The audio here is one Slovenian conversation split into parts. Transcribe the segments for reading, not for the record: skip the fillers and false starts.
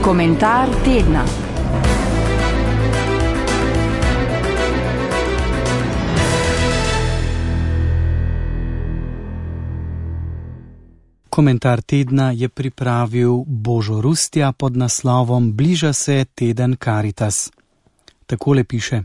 Komentar tedna. Komentar tedna je pripravil Božo Rustja pod naslovom Bliža se teden Karitas. Takole piše.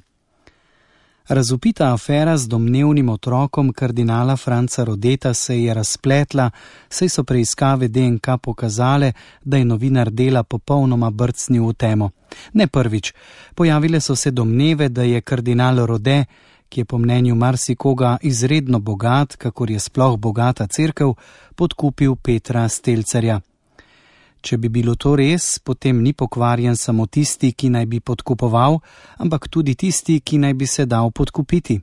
Razvpita afera z domnevnim otrokom kardinala Franca Rodeta se je razpletla, saj so preiskave DNK pokazale, da je novinar Dela popolnoma brcnil v temo. Ne prvič, pojavile so se domneve, da je kardinal Rode, ki je po mnenju marsikoga izredno bogat, kakor je sploh bogata cerkev, podkupil Petra Stelcerja. Če bi bilo to res, potem ni pokvarjen samo tisti, ki naj bi podkupoval, ampak tudi tisti, ki naj bi se dal podkupiti.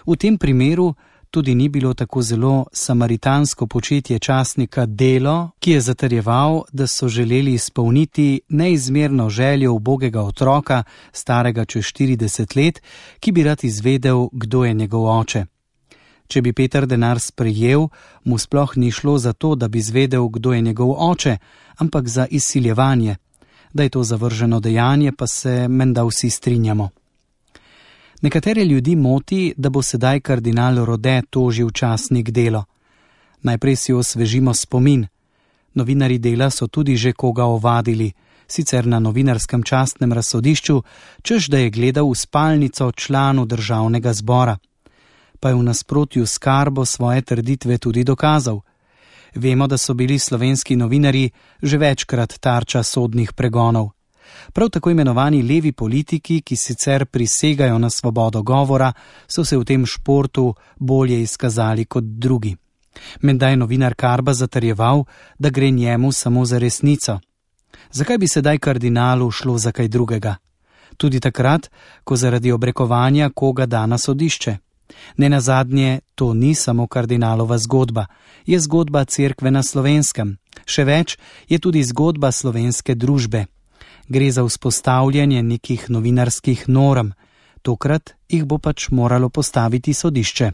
V tem primeru tudi ni bilo tako zelo samaritansko početje časnika Delo, ki je zatrjeval, da so želeli izpolniti neizmerno željo ubogega otroka, starega čez 40 let, ki bi rad izvedel, kdo je njegov oče. Če bi Peter denar sprejel, mu sploh ni šlo za to, da bi izvedel, kdo je njegov oče, ampak za izsiljevanje. Da je to zavrženo dejanje, pa se menda vsi strinjamo. Nekatere ljudi moti, da bo sedaj kardinal Rode tožil časnik Delo. Najprej si osvežimo spomin. Novinarji Dela so tudi že koga ovadili, sicer na novinarskem častnem razsodišču, češ da je gledal v spalnico članu državnega zbora. Pa je v nasprotju s Karbo svoje trditve tudi dokazal. Vemo, da so bili slovenski novinarji že večkrat tarča sodnih pregonov. Prav tako imenovani levi politiki, ki sicer prisegajo na svobodo govora, so se v tem športu bolje izkazali kot drugi. Menda je novinar Karba zatrjeval, da gre njemu samo za resnico. Zakaj bi sedaj kardinalu šlo za kaj drugega? Tudi takrat, ko zaradi obrekovanja koga da na sodišče. Nenazadnje, to ni samo kardinalova zgodba, je zgodba cerkve na Slovenskem. Še več, je tudi zgodba slovenske družbe. Gre za vzpostavljanje nekih novinarskih norm. Tokrat jih bo pač moralo postaviti sodišče.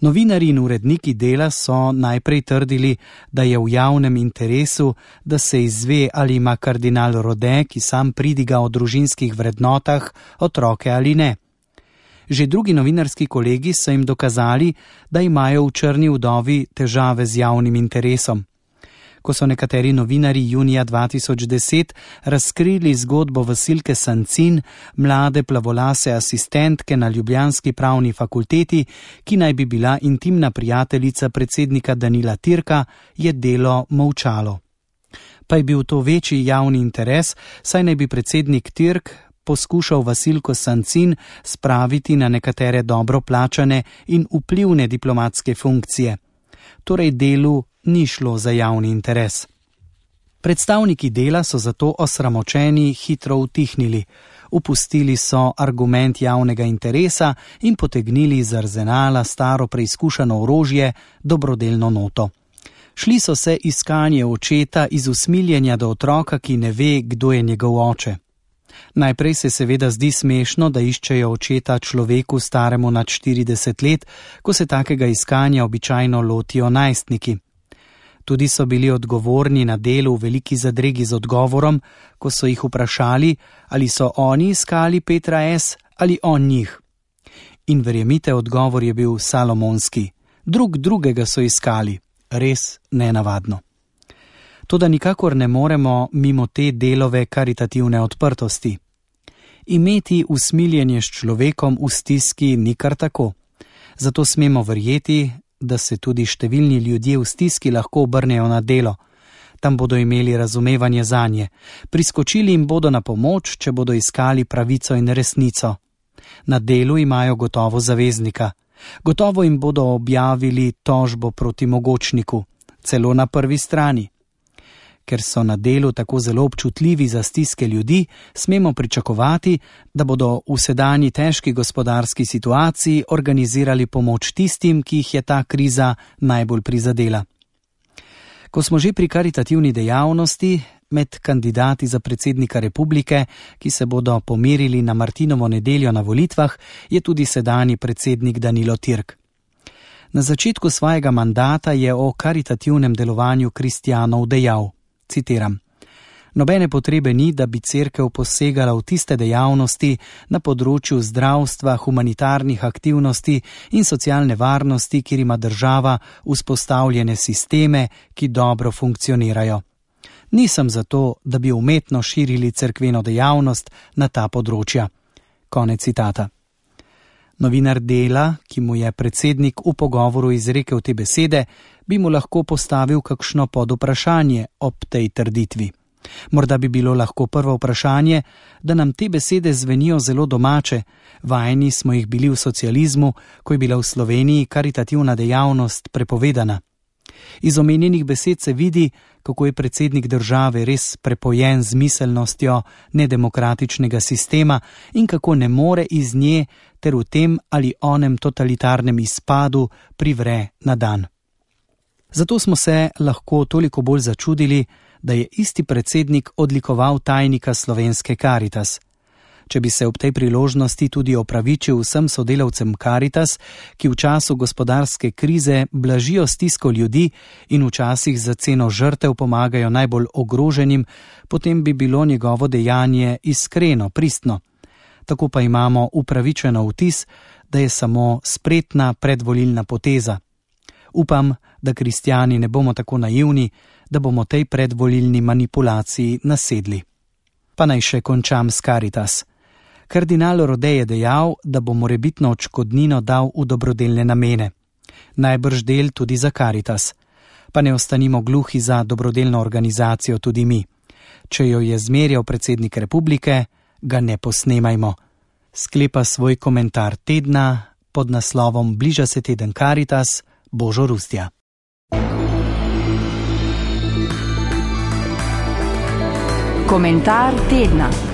Novinarji in uredniki Dela so najprej trdili, da je v javnem interesu, da se izve, ali ima kardinal Rode, ki sam pridiga o družinskih vrednotah, otroke ali ne. Že drugi novinarski kolegi so jim dokazali, da imajo v Črni vdovi težave z javnim interesom. Ko so nekateri novinarji junija 2010 razkrili zgodbo Vasilke Sancin, mlade plavolase asistentke na ljubljanski pravni fakulteti, ki naj bi bila intimna prijateljica predsednika Danila Tirka, je Delo molčalo. Pa je bil to večji javni interes, saj naj bi predsednik Tirk poskušal Vasilko Sancin spraviti na nekatere dobro plačane in vplivne diplomatske funkcije. Torej Delu ni šlo za javni interes. Predstavniki Dela so zato osramočeni hitro utihnili. Upustili so argument javnega interesa in potegnili iz arzenala staro preizkušano orožje, dobrodelno noto. Šli so se iskanje očeta iz usmiljenja do otroka, ki ne ve, kdo je njegov oče. Najprej se seveda zdi smešno, da iščejo očeta človeku staremu nad 40 let, ko se takega iskanja običajno lotijo najstniki. Tudi so bili odgovorni na Delu v veliki zadregi z odgovorom, ko so jih vprašali, ali so oni iskali Petra S. ali on njih. In verjemite, odgovor je bil salomonski. Drugega so iskali. Res nenavadno. Toda nikakor ne moremo mimo te Delove karitativne odprtosti. Imeti usmiljenje s človekom v stiski ni kar tako. Zato smemo verjeti, da se tudi številni ljudje v stiski lahko obrnejo na Delo. Tam bodo imeli razumevanje zanje. Priskočili jim bodo na pomoč, če bodo iskali pravico in resnico. Na Delu imajo gotovo zaveznika. Gotovo jim bodo objavili tožbo proti mogočniku, celo na prvi strani. Ker so na Delu tako zelo občutljivi za stiske ljudi, smemo pričakovati, da bodo v sedanji težki gospodarski situaciji organizirali pomoč tistim, ki jih je ta kriza najbolj prizadela. Ko smo že pri karitativni dejavnosti, med kandidati za predsednika republike, ki se bodo pomerili na Martinovo nedeljo na volitvah, je tudi sedanji predsednik Danilo Tirk. Na začetku svojega mandata je o karitativnem delovanju kristjanov dejal, citiram: Nobene potrebe ni, da bi cerkev posegala v tiste dejavnosti na področju zdravstva, humanitarnih aktivnosti in socialne varnosti, kjer ima država vzpostavljene sisteme, ki dobro funkcionirajo. Nisem zato, da bi umetno širili cerkveno dejavnost na ta področja. Konec citata. Novinar Dela, ki mu je predsednik v pogovoru izrekel te besede, bi mu lahko postavil kakšno podvprašanje ob tej trditvi. Morda bi bilo lahko prvo vprašanje, da nam te besede zvenijo zelo domače, vajeni smo jih bili v socializmu, ko je bila v Sloveniji karitativna dejavnost prepovedana. Iz omenjenih besed se vidi, kako je predsednik države res prepojen z miselnostjo nedemokratičnega sistema in kako ne more iz nje ter v tem ali onem totalitarnem izpadu privre na dan. Zato smo se lahko toliko bolj začudili, da je isti predsednik odlikoval tajnika slovenske Karitas. Če bi se ob tej priložnosti tudi opravičil vsem sodelavcem Karitas, ki v času gospodarske krize blažijo stisko ljudi in včasih za ceno žrtev pomagajo najbolj ogroženim, potem bi bilo njegovo dejanje iskreno, pristno. Tako pa imamo upravičeno vtis, da je samo spretna predvolilna poteza. Upam, da kristjani ne bomo tako naivni, da bomo tej predvolilni manipulaciji nasedli. Pa naj še končam s Karitas. Kardinal Rode je dejal, da bo morebitno odškodnino dal v dobrodelne namene. Najbrž del tudi za Karitas. Pa ne ostanimo gluhi za dobrodelno organizacijo tudi mi. Če jo je zmerjal predsednik republike, ga ne posnemajmo. Sklepa svoj komentar tedna pod naslovom Bliža se teden Karitas, Božo Rustja. Komentar tedna.